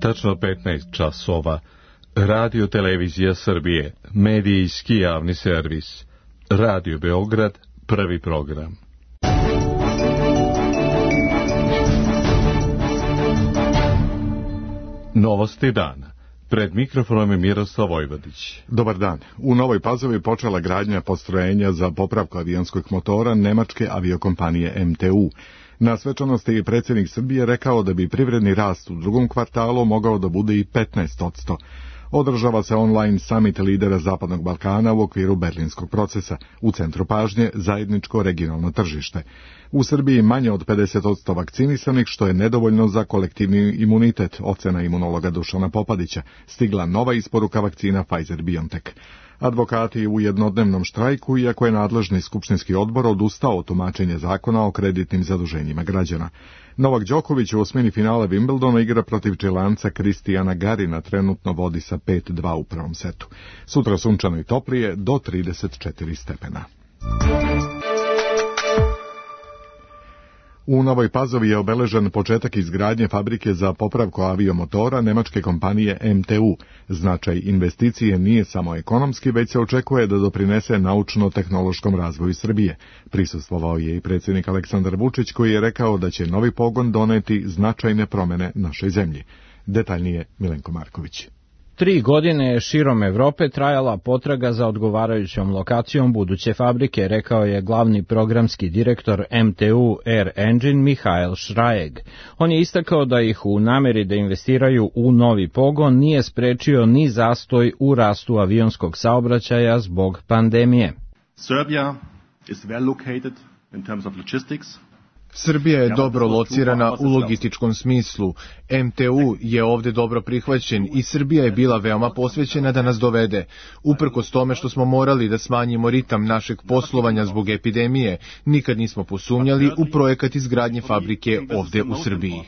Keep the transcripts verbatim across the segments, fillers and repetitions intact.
Tačno petnaest časova. Radio Televizija Srbije, medijski javni servis. Radio Beograd, prvi program. Novosti dana. Pred mikrofonom je Miroslav Vojvodić. Dobar dan. U Novoj Pazovi počela gradnja postrojenja za popravku avionskog motora nemačke aviokompanije M T U. Na svečanosti je predsjednik Srbije rekao da bi privredni rast u drugom kvartalu mogao da bude i petnaest posto. Održava se online summit lidera Zapadnog Balkana u okviru berlinskog procesa. U centru pažnje zajedničko regionalno tržište. U Srbiji manje od pedeset posto vakcinisanih, što je nedovoljno za kolektivni imunitet, ocena imunologa Dušana Popadića. Stigla nova isporuka vakcina Pfizer-BioNTech. Advokati u jednodnevnom štrajku, iako je nadležni skupštinski odbor odustao od tumačenja zakona o kreditnim zaduženjima građana. Novak Đoković u osmini finale Wimbledona igra protiv Čilanca Kristijana Garina, trenutno vodi sa pet dva u prvom setu. Sutra sunčano i toplije do trideset četiri stepena. U Novoj Pazovi je obeležen početak izgradnje fabrike za popravku aviomotora nemačke kompanije M T U. Značaj investicije nije samo ekonomski, već se očekuje da doprinese naučno-tehnološkom razvoju Srbije. Prisustvovao je i predsjednik Aleksandar Vučić, koji je rekao da će novi pogon doneti značajne promjene našoj zemlji. Detaljnije Milenko Marković. Tri godine je širom Evrope trajala potraga za odgovarajućom lokacijom buduće fabrike, rekao je glavni programski direktor M T U Air Engine Mihael Šrajeg. On je istakao da ih u nameri da investiraju u novi pogon nije sprečio ni zastoj u rastu avionskog saobraćaja zbog pandemije. Serbia is well located in terms of logistics. Srbija je dobro locirana u logističkom smislu. M T U je ovdje dobro prihvaćen i Srbija je bila veoma posvećena da nas dovede. Uprkos tome što smo morali da smanjimo ritam našeg poslovanja zbog epidemije, nikad nismo posumnjali u projekat izgradnje fabrike ovdje u Srbiji.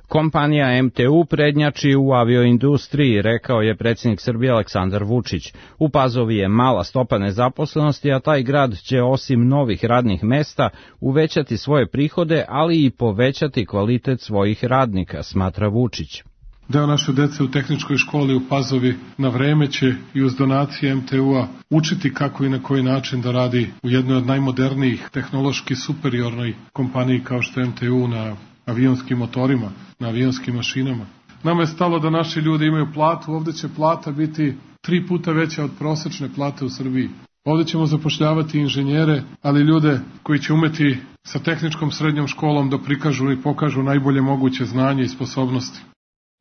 Kompanija M T U prednjači u avioindustriji, rekao je predsjednik Srbije Aleksandar Vučić. U Pazovi je mala stopa nezaposlenosti, a taj grad će osim novih radnih mesta uvećati svoje prihode, ali i povećati kvalitet svojih radnika, smatra Vučić. Deo naše dece u tehničkoj školi u Pazovi na vreme će i uz donacije M T U-a učiti kako i na koji način da radi u jednoj od najmodernijih tehnološki superiornoj kompaniji kao što je M T U na avionskim motorima, na avionskim mašinama. Nama je stalo da naši ljudi imaju platu, ovdje će plata biti tri puta veća od prosječne plate u Srbiji. Ovdje ćemo zapošljavati inženjere, ali ljude koji će umeti sa tehničkom srednjom školom da prikažu i pokažu najbolje moguće znanje i sposobnosti.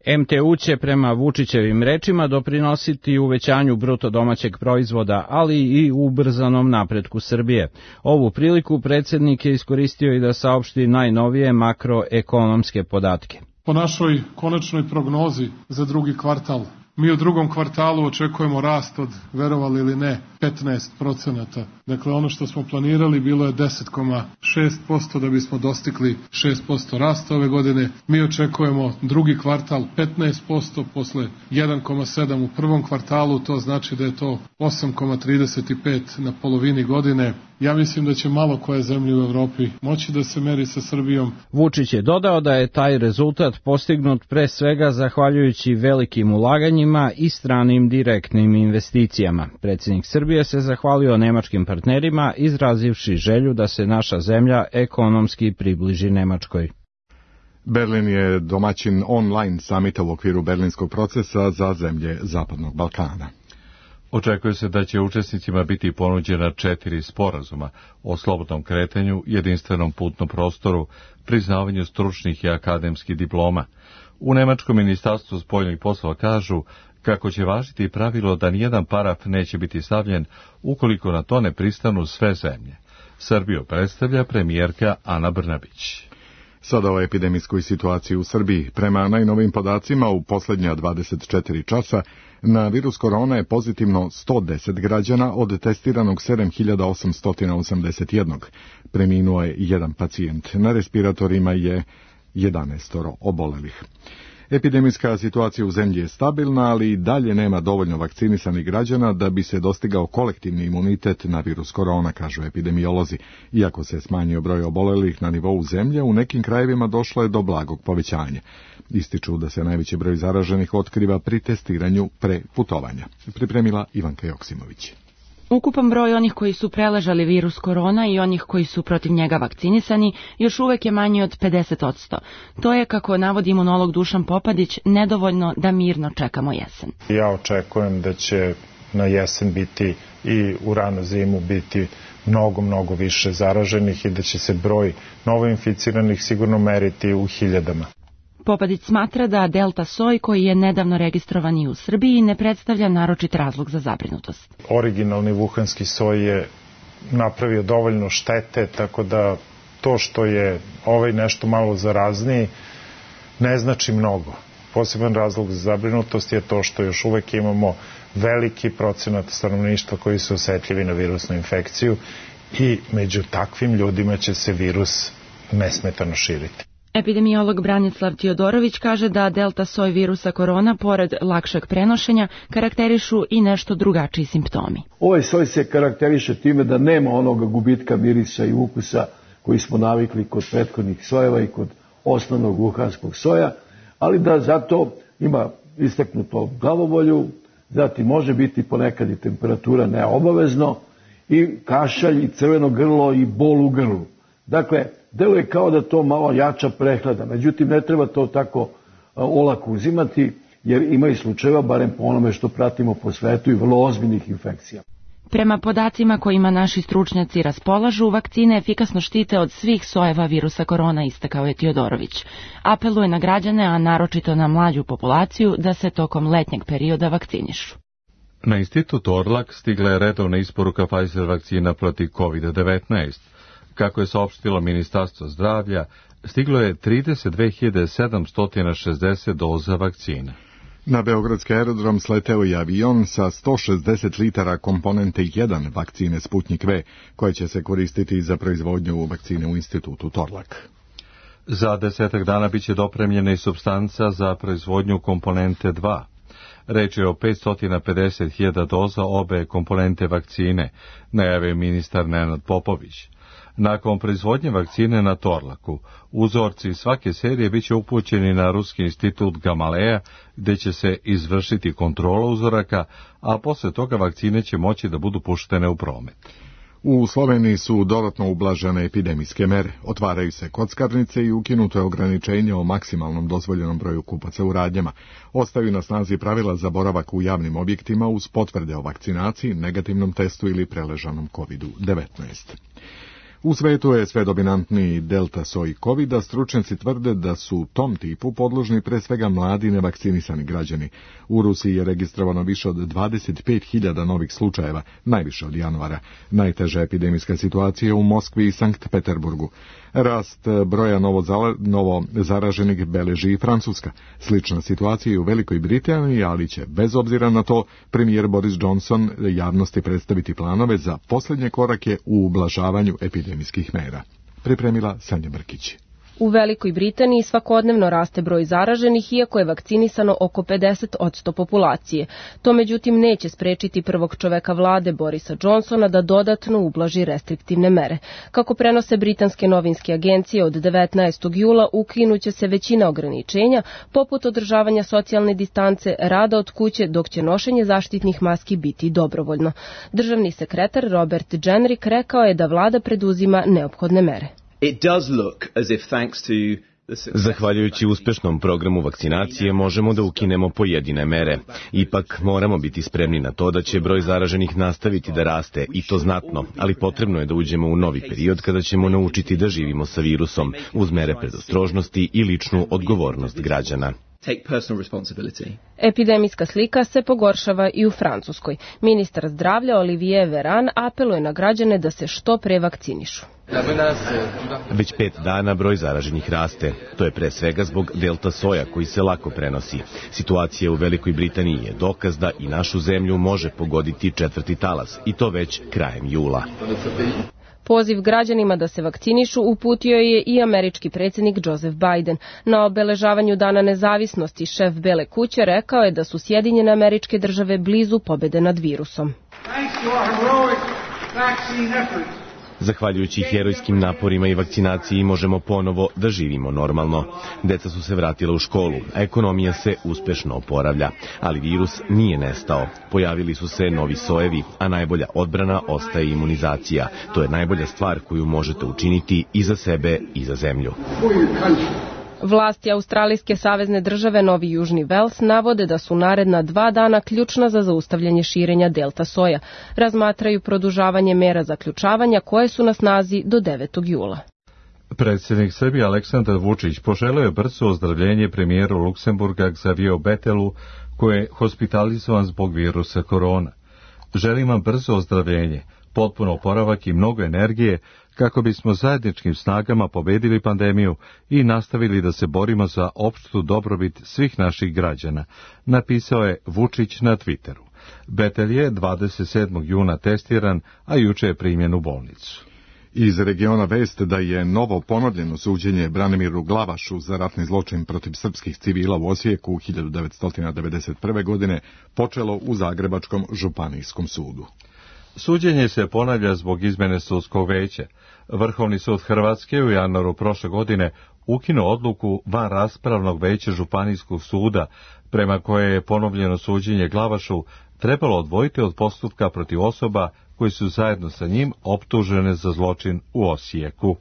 M T U će prema Vučićevim rečima doprinositi uvećanju bruto domaćeg proizvoda, ali i ubrzanom napretku Srbije. Ovu priliku predsjednik je iskoristio i da saopšti najnovije makroekonomske podatke. Po našoj konačnoj prognozi za drugi kvartal, mi u drugom kvartalu očekujemo rast od, verovali ili ne, petnaest procenata. Dakle, ono što smo planirali bilo je deset zarez šest posto da bismo dostigli šest posto rasta ove godine. Mi očekujemo drugi kvartal petnaest posto, posle jedan zarez sedam u prvom kvartalu, to znači da je to osam zarez trideset pet na polovini godine. Ja mislim da će malo koje zemlje u Evropi moći da se meri sa Srbijom. Vučić je dodao da je taj rezultat postignut pre svega zahvaljujući velikim ulaganjima i stranim direktnim investicijama. Predsjednik Srbije se zahvalio nemačkim partnerima, izrazivši želju da se naša zemlja ekonomski približi Nemačkoj. Berlin je domaćin online samita u okviru berlinskog procesa za zemlje Zapadnog Balkana. Očekuje se da će učesnicima biti ponuđena četiri sporazuma o slobodnom kretanju, jedinstvenom putnom prostoru, priznavanju stručnih i akademskih diploma. U Nemačkom ministarstvu spoljnih poslova kažu kako će važiti pravilo da nijedan paraf neće biti stavljen ukoliko na to ne pristanu sve zemlje. Srbiju predstavlja premijerka Ana Brnabić. Sada o epidemijskoj situaciji u Srbiji. Prema najnovim podacima, u posljednja dvadeset četiri časa na virus korona je pozitivno sto deset građana od testiranog sedam hiljada osamsto osamdeset jedan. Preminuo je jedan pacijent. Na respiratorima je jedanaest obolelih. Epidemijska situacija u zemlji je stabilna, ali i dalje nema dovoljno vakcinisanih građana da bi se dostigao kolektivni imunitet na virus korona, kažu epidemiolozi. Iako se smanjio broj obolelih na nivou zemlje, u nekim krajevima došlo je do blagog povećanja. Ističu da se najveći broj zaraženih otkriva pri testiranju pre putovanja. Pripremila Ivanka Joksimović. Ukupan broj onih koji su preležali virus korona i onih koji su protiv njega vakcinisani još uvek je manji od pedeset odsto. To je, kako navodi imunolog Dušan Popadić, nedovoljno da mirno čekamo jesen. Ja očekujem da će na jesen biti i u ranu zimu biti mnogo, mnogo više zaraženih i da će se broj novoinficiranih sigurno meriti u hiljadama. Popadić smatra da delta soj, koji je nedavno registrovan i u Srbiji, ne predstavlja naročit razlog za zabrinutost. Originalni vuhanski soj je napravio dovoljno štete, tako da to što je ovaj nešto malo zarazniji ne znači mnogo. Poseban razlog za zabrinutost je to što još uvek imamo veliki procenat stanovništva koji su osetljivi na virusnu infekciju i među takvim ljudima će se virus nesmetano širiti. Epidemiolog Branislav Tiodorović kaže da delta soj virusa korona, pored lakšeg prenošenja, karakterišu i nešto drugačiji simptomi. Ovaj soj se karakteriše time da nema onoga gubitka mirisa i ukusa koji smo navikli kod prethodnih sojeva i kod osnovnog vuhanskog soja, ali da zato ima istaknuto glavobolju, zatim može biti ponekad i temperatura neobavezno i kašalj i crveno grlo i bol u grlu. Dakle, deluje kao da to malo jača prehlada, međutim ne treba to tako olako uzimati, jer ima i slučajeva, barem po onome što pratimo po svetu, i vrlo ozbiljnih infekcija. Prema podacima kojima naši stručnjaci raspolažu, vakcine efikasno štite od svih sojeva virusa korona, istakao je Tiodorović. Apeluje na građane, a naročito na mlađu populaciju, da se tokom letnjeg perioda vakcinišu. Na institut Orlak stigla je redovna isporuka Pfizer vakcina protiv kovid devetnaest. Kako je saopštilo Ministarstvo zdravlja, stiglo je trideset dve hiljade sedamsto šezdeset doza vakcine. Na beogradski aerodrom sleteo je avion sa sto šezdeset litara komponente jedan vakcine Sputnik V, koje će se koristiti za proizvodnju vakcine u institutu Torlak. Za desetak dana biće dopremljena i supstanca za proizvodnju komponente dva. Reč je o petsto pedeset hiljada doza obe komponente vakcine, najavio ministar Nenad Popović. Nakon proizvodnje vakcine na Torlaku, uzorci svake serije biće upućeni na Ruski institut Gamaleja, gde će se izvršiti kontrola uzoraka, a posle toga vakcine će moći da budu puštene u promet. U Sloveniji su dodatno ublažene epidemijske mere. Otvaraju se kockarnice i ukinuto je ograničenje o maksimalnom dozvoljenom broju kupaca u radnjama. Ostaju na snazi pravila za boravak u javnim objektima uz potvrde o vakcinaciji, negativnom testu ili preležanom kovid devetnaest. U svetu je sve dominantniji delta soj covida, stručnjaci tvrde da su tom tipu podložni pre svega mladi nevakcinisani građani. U Rusiji je registrovano više od dvadeset pet hiljada novih slučajeva, najviše od januara. Najteža epidemijska situacija u Moskvi i Sankt Peterburgu. Rast broja novo, novo zaraženih beleži i Francuska. Slična situacija je u Velikoj Britaniji, ali će, bez obzira na to, premijer Boris Johnson javnosti predstaviti planove za posljednje korake u ublažavanju epidemijskih mera. Pripremila Sanja Brkić. U Velikoj Britaniji svakodnevno raste broj zaraženih, iako je vakcinisano oko pedeset odsto populacije. To međutim neće sprečiti prvog čoveka vlade Borisa Johnsona da dodatno ublaži restriktivne mere. Kako prenose britanske novinske agencije, od devetnaestog jula ukinuće se većina ograničenja, poput održavanja socijalne distance, rada od kuće, dok će nošenje zaštitnih maski biti dobrovoljno. Državni sekretar Robert Jenrick rekao je da vlada preduzima neophodne mere. It does look as if thanks to Zahvaljujući uspešnom programu vakcinacije možemo da ukinemo pojedine mere. Ipak moramo biti spremni na to da će broj zaraženih nastaviti da raste, i to znatno, ali potrebno je da uđemo u novi period kada ćemo naučiti da živimo sa virusom uz mere predostrožnosti i ličnu odgovornost građana. Epidemijska slika se pogoršava i u Francuskoj. Ministar zdravlja Olivier Véran apeluje na građane da se što pre vakcinišu. Već pet dana broj zaraženih raste. To je pre svega zbog delta soja koji se lako prenosi. Situacija u Velikoj Britaniji je dokaz da i našu zemlju može pogoditi četvrti talas, i to već krajem jula. Poziv građanima da se vakcinišu uputio je i američki predsjednik Joseph Biden. Na obeležavanju Dana nezavisnosti šef Bele kuće rekao je da su Sjedinjene Američke Države blizu pobjede nad virusom. Zahvaljujući herojskim naporima i vakcinaciji možemo ponovo da živimo normalno. Deca su se vratila u školu, a ekonomija se uspešno oporavlja. Ali virus nije nestao. Pojavili su se novi sojevi, a najbolja odbrana ostaje imunizacija. To je najbolja stvar koju možete učiniti i za sebe i za zemlju. Vlasti Australijske savezne države Novi Južni Vels navode da su naredna dva dana ključna za zaustavljanje širenja delta soja. Razmatraju produžavanje mera zaključavanja koje su na snazi do devetog jula. Predsjednik Srbije Aleksandar Vučić poželio je brzo ozdravljenje premijeru Luksemburga Xavier Bettelu, koji je hospitalizovan zbog virusa korona. Želim vam brzo ozdravljenje, potpuno oporavak i mnogo energije kako bismo zajedničkim snagama pobedili pandemiju i nastavili da se borimo za opštu dobrobit svih naših građana, napisao je Vučić na Twitteru. Bettel je dvadeset sedmog juna testiran, a juče je primljen u bolnicu. Iz regiona vest da je novo ponovljeno suđenje Branimiru Glavašu za ratni zločin protiv srpskih civila u Osijeku hiljadu devetsto devedeset prve. godine počelo u Zagrebačkom županijskom sudu. Suđenje se ponavlja zbog izmene sudskog veća. Vrhovni sud Hrvatske u januaru prošle godine ukinuo odluku van raspravnog veća Županijskog suda, prema koje je ponovljeno suđenje Glavašu trebalo odvojiti od postupka protiv osoba koji su zajedno sa njim optužene za zločin u Osijeku.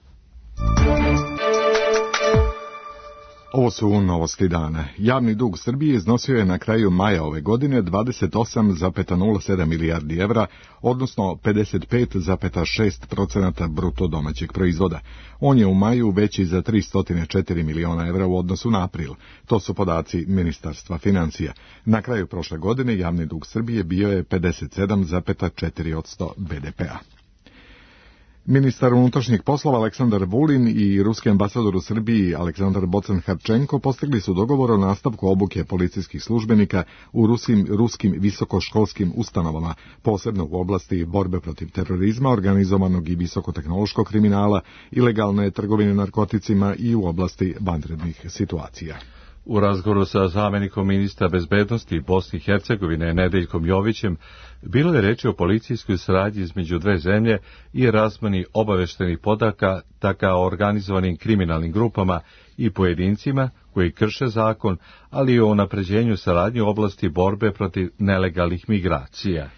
Ovo su novosti dana. Javni dug Srbije iznosio je na kraju maja ove godine dvadeset osam zarez nula sedam milijardi evra, odnosno pedeset pet zarez šest posto bruto domaćeg proizvoda. On je u maju veći za tristo četiri miliona evra u odnosu na april. To su podaci Ministarstva financija. Na kraju prošle godine javni dug Srbije bio je pedeset sedam zarez četiri posto be de pea. Ministar unutrašnjih poslova Aleksandar Vulin i ruski ambasador u Srbiji Aleksandar Bocan-Harčenko postigli su dogovor o nastavku obuke policijskih službenika u ruskim, ruskim visokoškolskim ustanovama, posebno u oblasti borbe protiv terorizma, organizovanog i visokotehnološkog kriminala, ilegalne trgovine narkoticima i u oblasti vanrednih situacija. U razgovoru sa zamenikom ministra bezbednosti Bosne i Hercegovine Nedeljkom Jovićem bilo je reči o policijskoj saradnji između dve zemlje i razmeni obaveštenih podataka o organizovanim kriminalnim grupama i pojedincima koji krše zakon, ali i o unapređenju saradnje u oblasti borbe protiv nelegalnih migracija.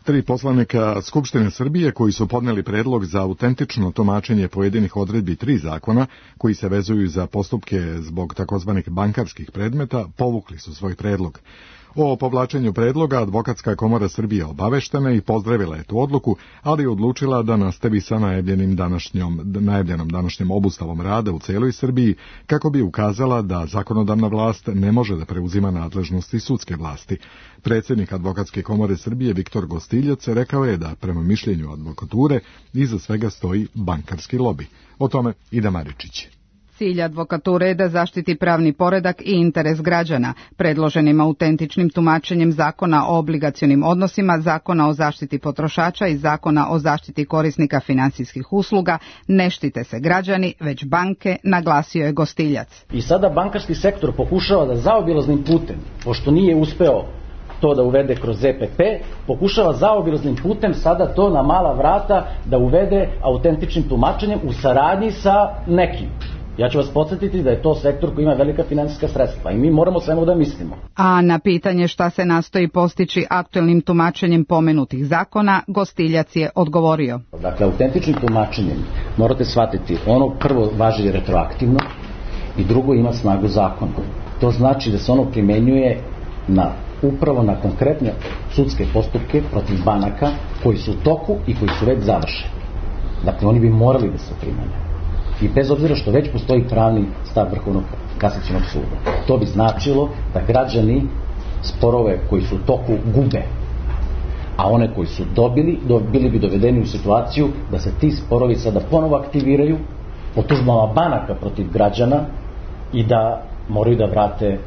Tri poslanika Skupštine Srbije koji su podneli predlog za autentično tumačenje pojedinih odredbi tri zakona koji se vezuju za postupke zbog takozvanih bankarskih predmeta povukli su svoj predlog. O povlačenju predloga Advokatska komora Srbije obaveštena i pozdravila je tu odluku, ali je odlučila da nastavi sa najavljenim današnjom, najavljenom današnjom obustavom rada u celoj Srbiji, kako bi ukazala da zakonodavna vlast ne može da preuzima nadležnosti sudske vlasti. Predsjednik Advokatske komore Srbije Viktor Gostiljac rekao je da prema mišljenju advokature iza svega stoji bankarski lobi. O tome Ida Maričić. Cilj advokature je da zaštiti pravni poredak i interes građana. Predloženim autentičnim tumačenjem Zakona o obligacionim odnosima, Zakona o zaštiti potrošača i Zakona o zaštiti korisnika finansijskih usluga ne štite se građani, već banke, naglasio je Gostiljac. I sada bankarski sektor pokušava da zaobilaznim putem, pošto nije uspeo to da uvede kroz Z P P, pokušava zaobilaznim putem sada to na mala vrata da uvede autentičnim tumačenjem u saradnji sa nekim. Ja ću vas podsjetiti da je to sektor koji ima velika finansijska sredstva i mi moramo svemu da mislimo. A na pitanje šta se nastoji postići aktuelnim tumačenjem pomenutih zakona, Gostiljac je odgovorio. Dakle, autentičnim tumačenjem morate shvatiti, ono prvo važi retroaktivno i drugo ima snagu zakona. To znači da se ono primenjuje na, upravo na konkretne sudske postupke protiv banaka koji su u toku i koji su već završeni. Dakle, oni bi morali da se primenjaju. I bez obzira što već postoji pravni stav Vrhovnog kasacionog suda. To bi značilo da građani sporove koji su u toku gube, a one koji su dobili, bili bi dovedeni u situaciju da se ti sporovi sada ponovo aktiviraju po tužbama banaka protiv građana i da moraju da vrate,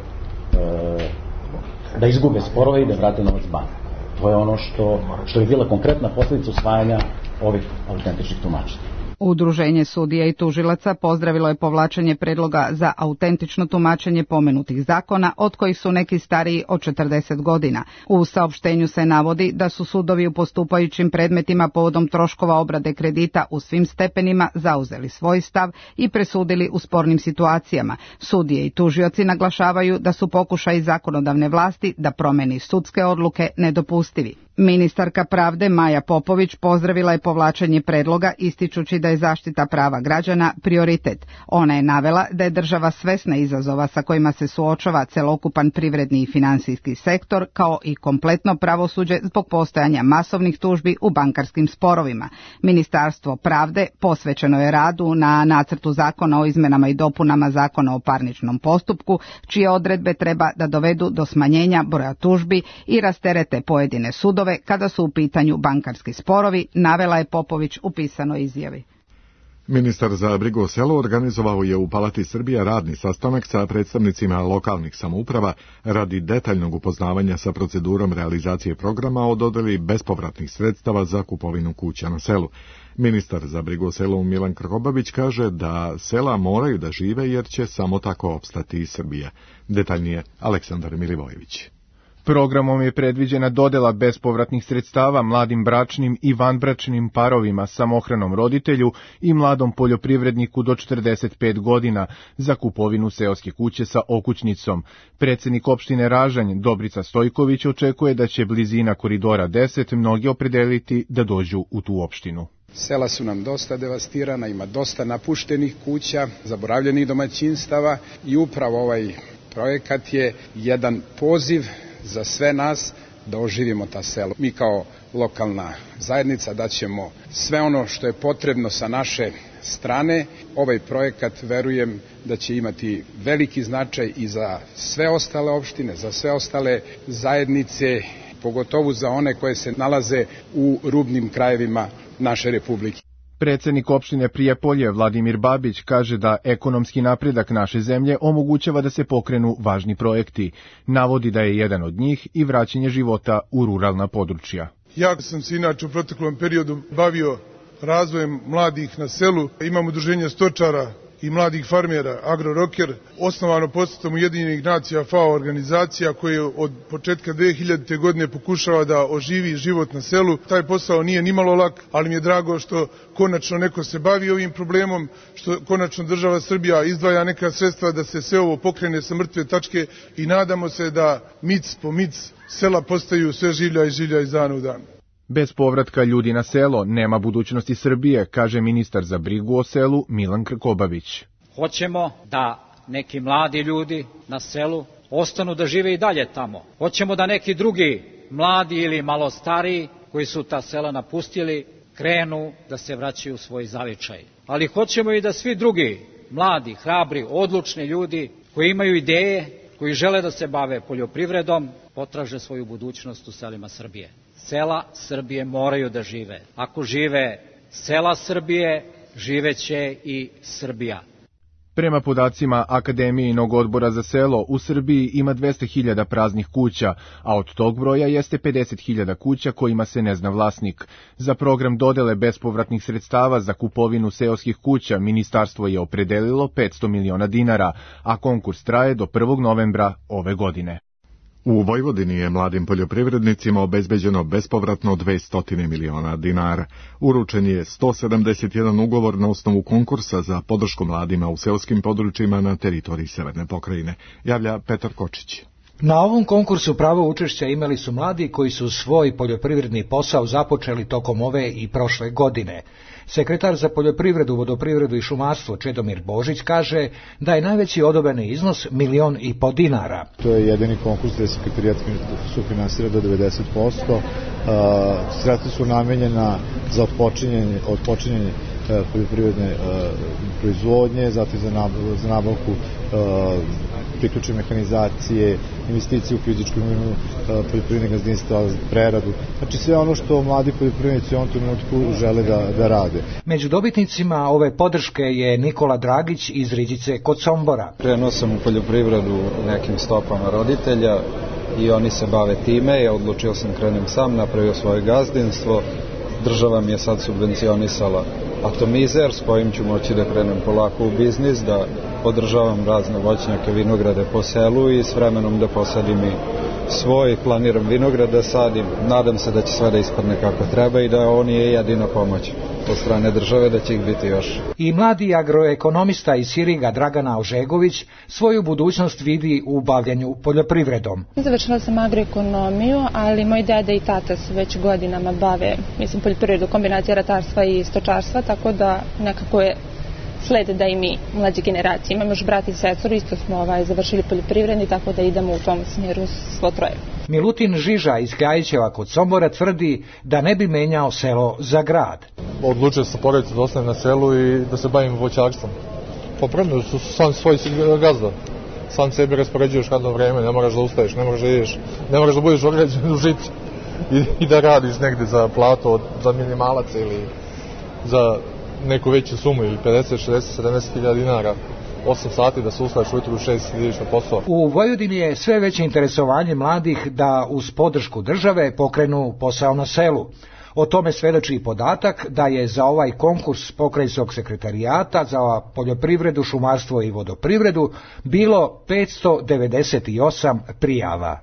da izgube sporove i da vrate novac banaka. To je ono što, što je bila konkretna posljedica usvajanja ovih autentičnih tumačenja. Udruženje sudija i tužilaca pozdravilo je povlačenje predloga za autentično tumačenje pomenutih zakona, od kojih su neki stariji od četrdeset godina. U saopštenju se navodi da su sudovi u postupajućim predmetima povodom troškova obrade kredita u svim stepenima zauzeli svoj stav i presudili u spornim situacijama. Sudije i tužioci naglašavaju da su pokušaji zakonodavne vlasti da promeni sudske odluke nedopustivi. Ministarka pravde Maja Popović pozdravila je povlačenje predloga ističući da je zaštita prava građana prioritet. Ona je navela da je država svesna izazova sa kojima se suočava celokupan privredni i finansijski sektor, kao i kompletno pravosuđe zbog postojanja masovnih tužbi u bankarskim sporovima. Ministarstvo pravde posvećeno je radu na nacrtu zakona o izmenama i dopunama zakona o parničnom postupku, čije odredbe treba da dovedu do smanjenja broja tužbi i rasterete pojedine sudove kada su u pitanju bankarski sporovi, navela je Popović u pisanoj izjavi. Ministar za brigu o selu organizovao je u Palati Srbija radni sastanak sa predstavnicima lokalnih samouprava radi detaljnog upoznavanja sa procedurom realizacije programa o dodeli bespovratnih sredstava za kupovinu kuća na selu. Ministar za brigu o selu Milan Krkobabić kaže da sela moraju da žive jer će samo tako opstati i Srbija. Detaljnije Aleksandar Milivojević. Programom je predviđena dodela bespovratnih sredstava mladim bračnim i vanbračnim parovima, samohranom roditelju i mladom poljoprivredniku do četrdeset pet godina za kupovinu seoske kuće sa okućnicom. Predsednik opštine Ražanj Dobrica Stojković očekuje da će blizina koridora deset mnogi opredeliti da dođu u tu opštinu. Sela su nam dosta devastirana, ima dosta napuštenih kuća, zaboravljenih domaćinstava i upravo ovaj projekat je jedan poziv za sve nas da oživimo ta selo. Mi kao lokalna zajednica daćemo sve ono što je potrebno sa naše strane. Ovaj projekat, verujem, da će imati veliki značaj i za sve ostale opštine, za sve ostale zajednice, pogotovo za one koje se nalaze u rubnim krajevima naše republike. Predsednik opštine Prijepolje Vladimir Babić kaže da ekonomski napredak naše zemlje omogućava da se pokrenu važni projekti. Navodi da je jedan od njih i vraćanje života u ruralna područja. Ja sam se inače u proteklom periodu bavio razvojem mladih na selu. Imam udruženje stočara i mladih farmera AgroRoker, osnovano posredstvom Ujedinjenih nacija F A O organizacija koja od početka dve hiljadite. godine pokušava da oživi život na selu. Taj posao nije nimalo lak, ali mi je drago što konačno neko se bavi ovim problemom, što konačno država Srbija izdvaja neka sredstva da se sve ovo pokrene sa mrtve tačke i nadamo se da mic po mic sela postaju sve življa i življa iz dana u dan. Bez povratka ljudi na selo nema budućnosti Srbije, kaže ministar za brigu o selu Milan Krkobabić. Hoćemo da neki mladi ljudi na selu ostanu da žive i dalje tamo. Hoćemo da neki drugi mladi ili malo stariji koji su ta sela napustili krenu da se vraćaju u svoj zavičaj. Ali hoćemo i da svi drugi mladi, hrabri, odlučni ljudi koji imaju ideje, koji žele da se bave poljoprivredom, potraže svoju budućnost u selima Srbije. Sela Srbije moraju da žive. Ako žive sela Srbije, živeće i Srbija. Prema podacima Akademijinog odbora za selo, u Srbiji ima dvesta hiljada praznih kuća, a od tog broja jeste pedeset hiljada kuća kojima se ne zna vlasnik. Za program dodele bespovratnih sredstava za kupovinu seoskih kuća ministarstvo je opredelilo petsto miliona dinara, a konkurs traje do prvog novembra ove godine. U Vojvodini je mladim poljoprivrednicima obezbeđeno bespovratno dvesta miliona dinara. Uručen je sto sedamdeset jedan ugovor na osnovu konkursa za podršku mladima u seoskim područjima na teritoriji Severne pokrajine, javlja Petar Kočić. Na ovom konkursu pravo učešća imali su mladi koji su svoj poljoprivredni posao započeli tokom ove i prošle godine. Sekretar za poljoprivredu, vodoprivredu i šumarstvo Čedomir Božić kaže da je najveći odobreni iznos milion i po dinara. To je jedini konkurs gde sekretarijat sufinansira do devedeset posto. Sredstva su namenjena za otpočinjanje, otpočinjanje poljoprivredne proizvodnje, zatim za nabavku priključne mehanizacije, investicije u fizičku imovinu poljoprivrednih gazdinstva, preradu. Znači sve ono što mladi poljoprivrednici u ovom trenutku žele da, da rade. Među dobitnicima ove podrške je Nikola Dragić iz Riđice kod Sombora. Krenuo sam u poljoprivredu nekim stopama roditelja i oni se bave time. Ja odlučio sam krenem sam, napravio svoje gazdinstvo država mi je sad subvencionisala atomizer s kojim ću moći da krenem polako u biznis, da podržavam razne voćnjake, vinograde po selu i s vremenom da posadim i svoj, planiram vinograd da sadim. Nadam se da će sve da ispadne kako treba i da on je jedina pomoć od strane države, da će ih biti još. I mladi agroekonomista iz Siriga Dragana Ožegović svoju budućnost vidi u bavljanju poljoprivredom. Završila sam agroekonomiju, ali moj deda i tata se već godinama bave, mislim, poljoprivredu, kombinacija ratarstva i stočarstva, tako da nekako je sled da i mi, mlađe generacije. Imam još brat i sestru, isto smo ovaj, završili poljoprivredni, tako da idemo u tom smjeru svo troje. Milutin Žiža iz Kljajićeva kod Sombora tvrdi da ne bi menjao selo za grad. Odlučio sam porodicu da ostanem na selu i da se bavim voćarstvom. Popravno su sam svoj gazda. Sam sebi raspoređuješ radno vreme, ne moraš da ustaješ, ne moraš da ideš, ne moraš da budeš određen u žicu i, i da radiš negde za plato, za minimalac ili za neku veću sumu ili pedeset, šezdeset, sedamdeset hiljada dinara, osam sati da se ustaješ ujutru u šest ideš na posao. U Vojvodini je sve veće interesovanje mladih da uz podršku države pokrenu posao na selu. O tome svedoči i podatak da je za ovaj konkurs Pokrajinskog sekretarijata za poljoprivredu, šumarstvo i vodoprivredu bilo petsto devedeset osam prijava.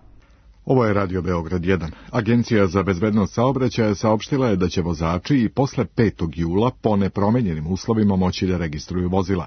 Ovo je Radio Beograd jedan. Agencija za bezbednost saobraćaja saopštila je da će vozači i posle petog jula po nepromenjenim uslovima moći da registruju vozila.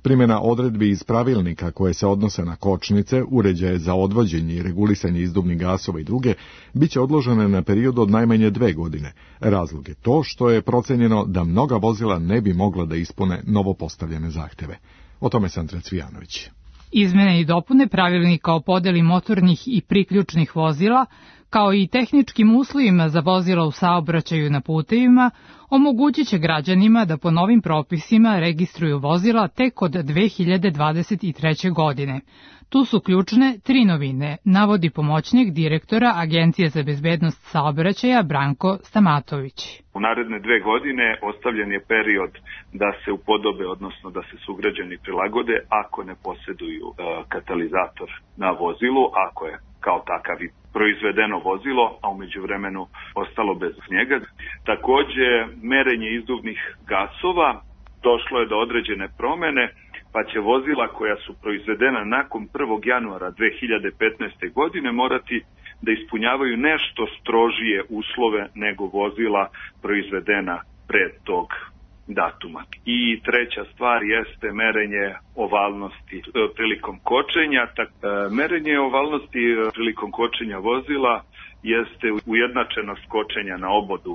Primjena odredbi iz pravilnika koje se odnose na kočnice, uređaje za odvođenje i regulisanje izduvnih gasova i druge, bit će odložene na period od najmanje dve godine. Razlog je to što je procenjeno da mnoga vozila ne bi mogla da ispune novo postavljene zahteve. O tome Sandra Cvijanović. Izmene i dopune pravilnika o podeli motornih i priključnih vozila, kao i tehničkim uslovima za vozila u saobraćaju na putevima, omogućit će građanima da po novim propisima registruju vozila tek od dve hiljade dvadeset treće. godine. Tu su ključne tri novine, navodi pomoćnik direktora Agencije za bezbednost saobraćaja Branko Stamatović. U naredne dve godine ostavljen je period da se upodobe, odnosno da se sugrađani prilagode ako ne posjeduju e, katalizator na vozilu, ako je kao takav i proizvedeno vozilo, a u međuvremenu ostalo bez njega. Takođe, merenje izduvnih gasova, došlo je do određene promene, pa će vozila koja su proizvedena nakon prvog januara dve hiljade petnaeste. godine morati da ispunjavaju nešto strožije uslove nego vozila proizvedena pre tog datuma. I treća stvar jeste merenje ovalnosti prilikom kočenja. Tak, merenje ovalnosti prilikom kočenja vozila jeste ujednačenost kočenja na obodu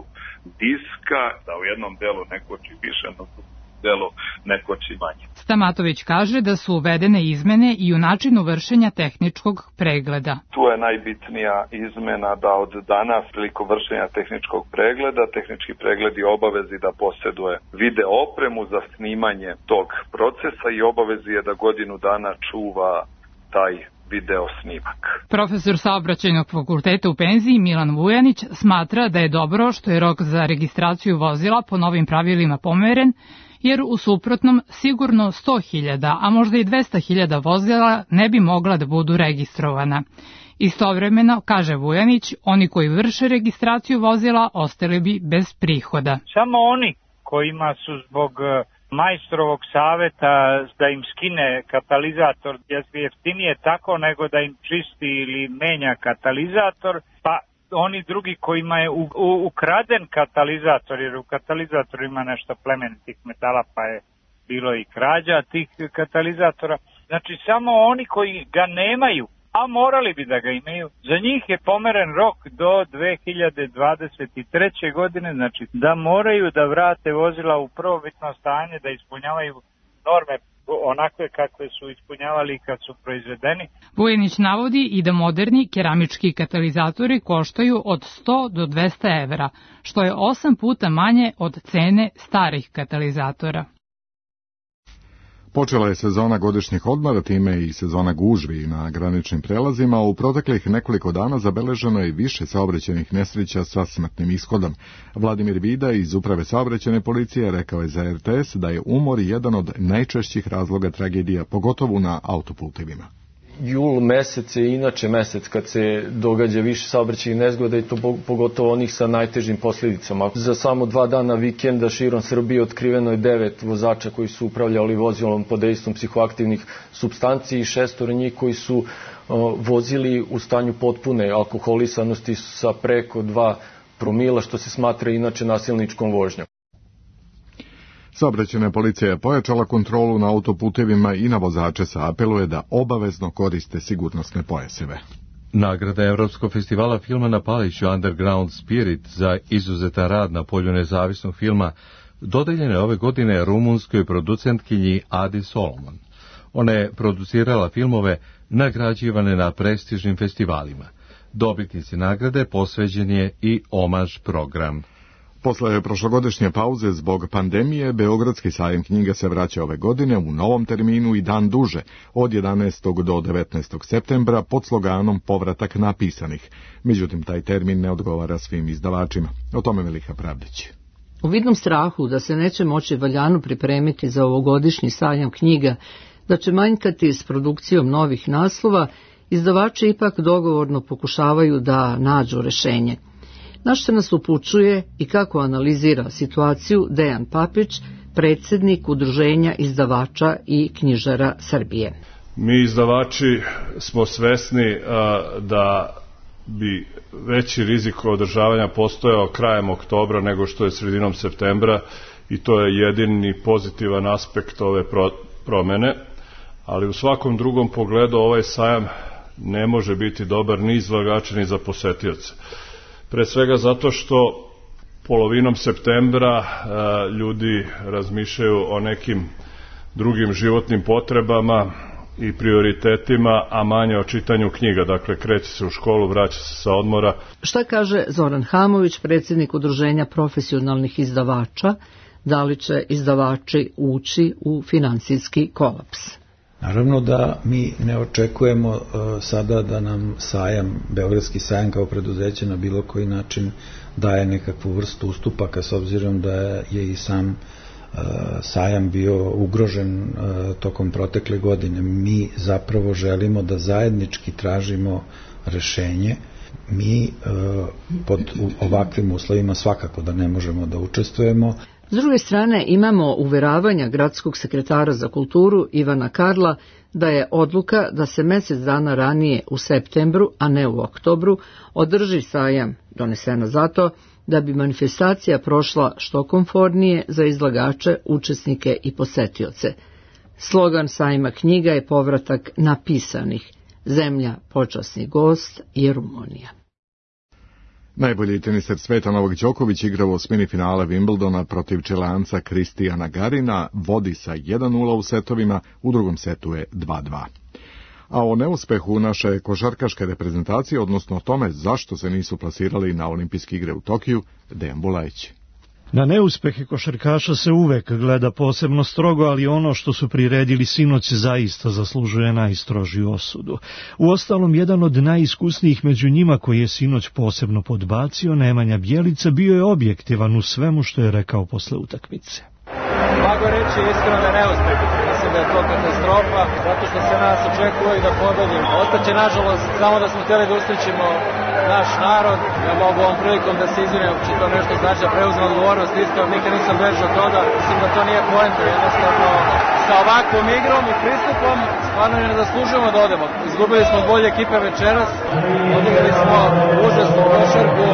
diska, da u jednom delu ne koči više, no delu ne koči manje. Stamatović kaže da su uvedene izmene i u načinu vršenja tehničkog pregleda. Tu je najbitnija izmena da od danas prilikom vršenja tehničkog pregleda, tehnički pregled je obavezi da posjeduje video opremu za snimanje tog procesa i obavezi je da godinu dana čuva taj video snimak. Profesor saobraćajnog fakulteta u penziji Milan Vujanić smatra da je dobro što je rok za registraciju vozila po novim pravilima pomeren, jer u suprotnom sigurno sto hiljada, a možda i dvesta hiljada vozila ne bi mogla da budu registrovana. Istovremeno, kaže Vujanić, oni koji vrše registraciju vozila ostali bi bez prihoda. Samo oni kojima su zbog majstrovog saveta da im skine katalizator, jer je jeftinije tako nego da im čisti ili menja katalizator, pa oni drugi kojima je u, u, ukraden katalizator, jer u katalizatoru ima nešto plemenitih metala, pa je bilo i krađa tih katalizatora. Znači samo oni koji ga nemaju, a morali bi da ga imaju, za njih je pomeren rok do dve hiljade dvadeset treće. godine, znači da moraju da vrate vozila u prvobitno stanje, da ispunjavaju norme onakve kakve su ispunjavali kad su proizvedeni. Vujanić navodi i da moderni keramički katalizatori koštaju od sto do dvesta evra, što je osam puta manje od cene starih katalizatora. Počela je sezona godišnjih odmora, time i sezona gužvi na graničnim prelazima. U proteklih nekoliko dana zabeleženo je više saobraćajnih nesreća sa smrtnim ishodom. Vladimir Vida iz Uprave saobraćajne policije rekao je za er te es da je umor jedan od najčešćih razloga tragedija, pogotovo na autoputevima. jul mesec je inače mesec kad se događa više saobraćajnih nezgoda i to pogotovo onih sa najtežim posljedicama. Za samo dva dana vikenda širom Srbije otkriveno je devet vozača koji su upravljali vozilom pod dejstvom psihoaktivnih supstanci i šestora njih koji su vozili u stanju potpune alkoholisanosti sa preko dva promila, što se smatra inače nasilničkom vožnjom. Saobraćajna policija je pojačala kontrolu na autoputevima i na vozače sa apeluje da obavezno koriste sigurnosne pojaseve. Nagrada Evropskog festivala filma na Paliću Underground Spirit za izuzetan rad na polju nezavisnog filma dodeljena je ove godine rumunskoj producentkinji Adi Solomon. Ona je producirala filmove nagrađivane na prestižnim festivalima. Dobitnici nagrade posveđen je i omaž program. Posle prošlogodišnje pauze zbog pandemije, Beogradski sajam knjiga se vraća ove godine u novom terminu i dan duže, od jedanaestog do devetnaestog septembra, pod sloganom Povratak napisanih. Međutim, taj termin ne odgovara svim izdavačima. O tome Miliha Pravdić. U vidnom strahu da se neće moći valjano pripremiti za ovogodišnji sajam knjiga, da će manjkati s produkcijom novih naslova, izdavači ipak dogovorno pokušavaju da nađu rešenje. Na što nas upućuje i kako analizira situaciju Dejan Papić, predsjednik Udruženja izdavača i knjižara Srbije. Mi izdavači smo svesni a, da bi veći rizik održavanja postojao krajem oktobra nego što je sredinom septembra i to je jedini pozitivan aspekt ove pro, promene, ali u svakom drugom pogledu ovaj sajam ne može biti dobar ni izlagača ni za posetioce. Pre svega zato što polovinom septembra a, ljudi razmišljaju o nekim drugim životnim potrebama i prioritetima, a manje o čitanju knjiga. Dakle, kreće se u školu, vraća se sa odmora. Šta kaže Zoran Hamović, predsjednik Udruženja profesionalnih izdavača? Da li će izdavači ući u finansijski kolaps? Naravno da mi ne očekujemo uh, sada da nam sajam, Beogradski sajam kao preduzeće na bilo koji način daje nekakvu vrstu ustupaka, s obzirom da je i sam uh, sajam bio ugrožen uh, tokom protekle godine. Mi zapravo želimo da zajednički tražimo rešenje. Mi uh, pod ovakvim uslovima svakako da ne možemo da učestvujemo. S druge strane, imamo uveravanja gradskog sekretara za kulturu Ivana Karla da je odluka da se mjesec dana ranije u septembru, a ne u oktobru, održi sajam donesena zato da bi manifestacija prošla što komfornije za izlagače, učesnike i posetioce. Slogan sajma knjiga je povratak napisanih. Zemlja počasni gost je Rumunija. Najbolji teniser sveta Novak Đoković igra u osmini finale Wimbledona protiv Čileanca Kristijana Garina, vodi sa jedan nula u setovima, u drugom setu je dva dva. A o neuspehu naše košarkaške reprezentacije, odnosno o tome zašto se nisu plasirali na olimpijske igre u Tokiju, Dejan Bulajić. Na neuspehe košarkaša se uvek gleda posebno strogo, ali ono što su priredili sinoć zaista zaslužuje najstrožiju osudu. Uostalom, jedan od najiskusnijih među njima koji je sinoć posebno podbacio, Nemanja Bjelica, bio je objektivan u svemu što je rekao posle utakmice. Mogu reći iskreno da neuspeh. Mislim da je to katastrofa, zato što se nas očekuje da pobedimo. Ostaće, nažalost, samo da smo htjeli da usrećimo naš narod. Ja mogu ovom prilikom da se izvinim, či to nešto znači da preuzem odgovornost. Iskreno, nikad nisam bežao od toga. Mislim da to nije poenta. Jednostavno, sa ovakvom igrom i pristupom stvarno ne zaslužujemo da odemo. Izgubili smo bolje ekipe večeras, odigrali smo užasnu košarku,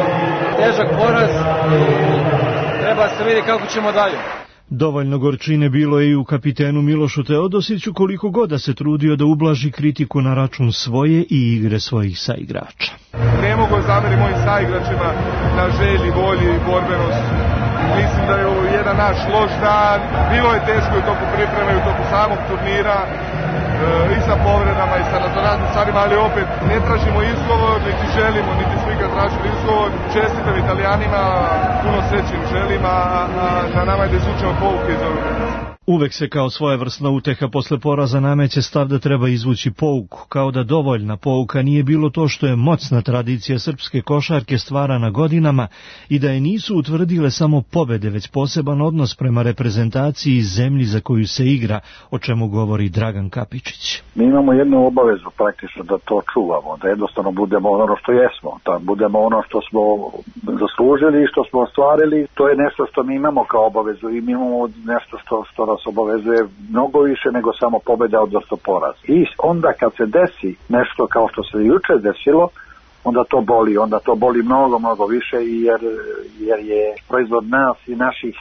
težak poraz i treba se vidi kako ćemo dalje. Dovoljno gorčine bilo je i u kapitenu Milošu Teodosiću, koliko god da se trudio da ublaži kritiku na račun svoje i igre svojih saigrača. Ne mogu zameriti mojim saigračima na želji, volji i borbenosti. Mislim da je ovo jedan naš loš dan. Bilo je teško u toku pripreme i u toku samog turnira, e, i sa povredama i sa raznoraznim stvarima, ali opet ne tražimo izgovor, niti želimo, niti svi ga tražili izgovor. Čestitam Italijanima, puno sreće im želim, a na nama je da izvučemo pouke iz ovog. Uvek se kao svojevrsna uteha posle poraza nameće stav da treba izvući pouku, kao da dovoljna pouka nije bilo to što je moćna tradicija srpske košarke stvarana godinama i da je nisu utvrdile samo pobede, već poseban odnos prema reprezentaciji i zemlji za koju se igra, o čemu govori Dragan Kapičić. Mi imamo jednu obavezu praktično da to čuvamo, da jednostavno budemo ono što jesmo, da budemo ono što smo zaslužili i što smo ostvarili. To je nešto što mi imamo kao obavezu i mi imamo nešto što, što nas obavezuje mnogo više nego samo pobeda, odnosno poraz. I onda kad se desi nešto kao što se juče desilo, onda to boli, onda to boli mnogo, mnogo više jer, jer je proizvod nas i naših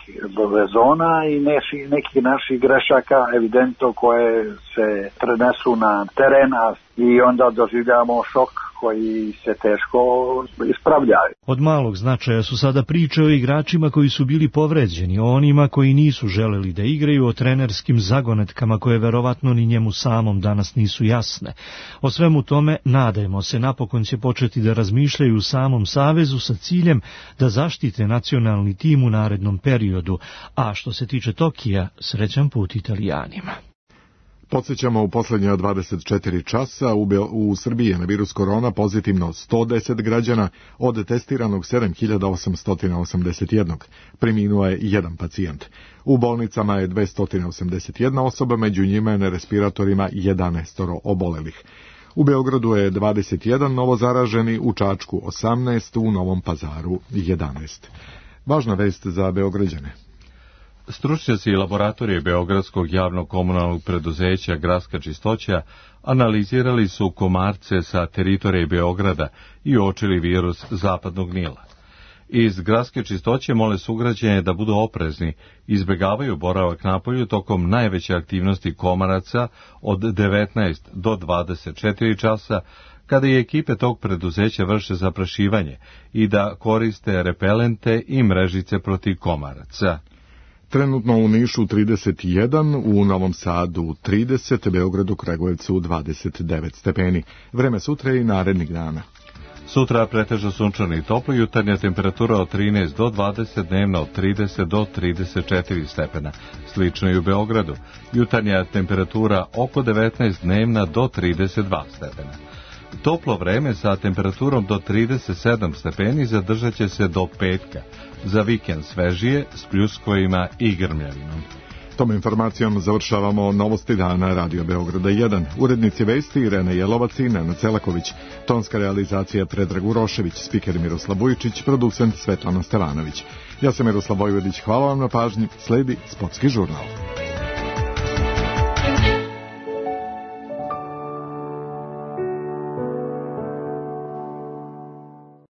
rezona i neši, nekih naših grešaka evidentno koje se prenesu na teren i onda doživljamo šok koji se teško ispravljaju. Od malog značaja su sada priče o igračima koji su bili povređeni, o onima koji nisu želeli da igraju, o trenerskim zagonetkama koje verovatno ni njemu samom danas nisu jasne. O svemu tome, nadajmo se, napokon će početi da razmišljaju u samom savezu sa ciljem da zaštite nacionalni tim u narednom periodu, a što se tiče Tokija, srećan put Italijanima. Podsjećamo, u posljednja dvadeset četiri časa u, Be- u Srbiji je na virus korona pozitivno sto deset građana, od testiranog sedam hiljada osamsto osamdeset jedan. Preminuo je jedan pacijent. U bolnicama je dvesta osamdeset jedna osoba, među njima je na respiratorima jedanaest obolelih. U Beogradu je dvadeset jedan novozaraženi, u Čačku osamnaest, u Novom Pazaru jedanaest. Važna vest za Beograđane. Stručnjaci laboratorije Beogradskog javnog komunalnog preduzeća Gradska čistoća analizirali su komarce sa teritorije Beograda i uočili virus zapadnog Nila. Iz Gradske čistoće mole sugrađane da budu oprezni, izbjegavaju boravak napolju tokom najveće aktivnosti komaraca od devetnaest do dvadeset četiri časa, kada i ekipe tog preduzeća vrše zaprašivanje, i da koriste repelente i mrežice protiv komaraca. Trenutno u Nišu trideset jedan, u Novom Sadu trideset, Beogradu, Kragujevcu dvadeset devet stepeni. Vreme sutra i narednih dana. Sutra pretežno sunčano i toplo, jutarnja temperatura od trinaest do dvadeset, dnevna od trideset do trideset četiri stepena. Slično i u Beogradu. Jutarnja temperatura oko devetnaest, dnevna do trideset dva stepena. Toplo vreme sa temperaturom do trideset sedam stepeni zadržat će se do petka. Za vikend svežije s pljuskovima i grmljavinom. Tom informacijom završavamo Novosti dana Radio Beograda jedan. Urednici vesti Irena Jelovac i Nenad Celaković. Tonska realizacija Predrag Urošević, spiker Miroslav Vujičić, producent Svetlana Stevanović. Ja sam Miroslav Vojvodić, hvala vam na pažnji, sledi Sportski žurnal.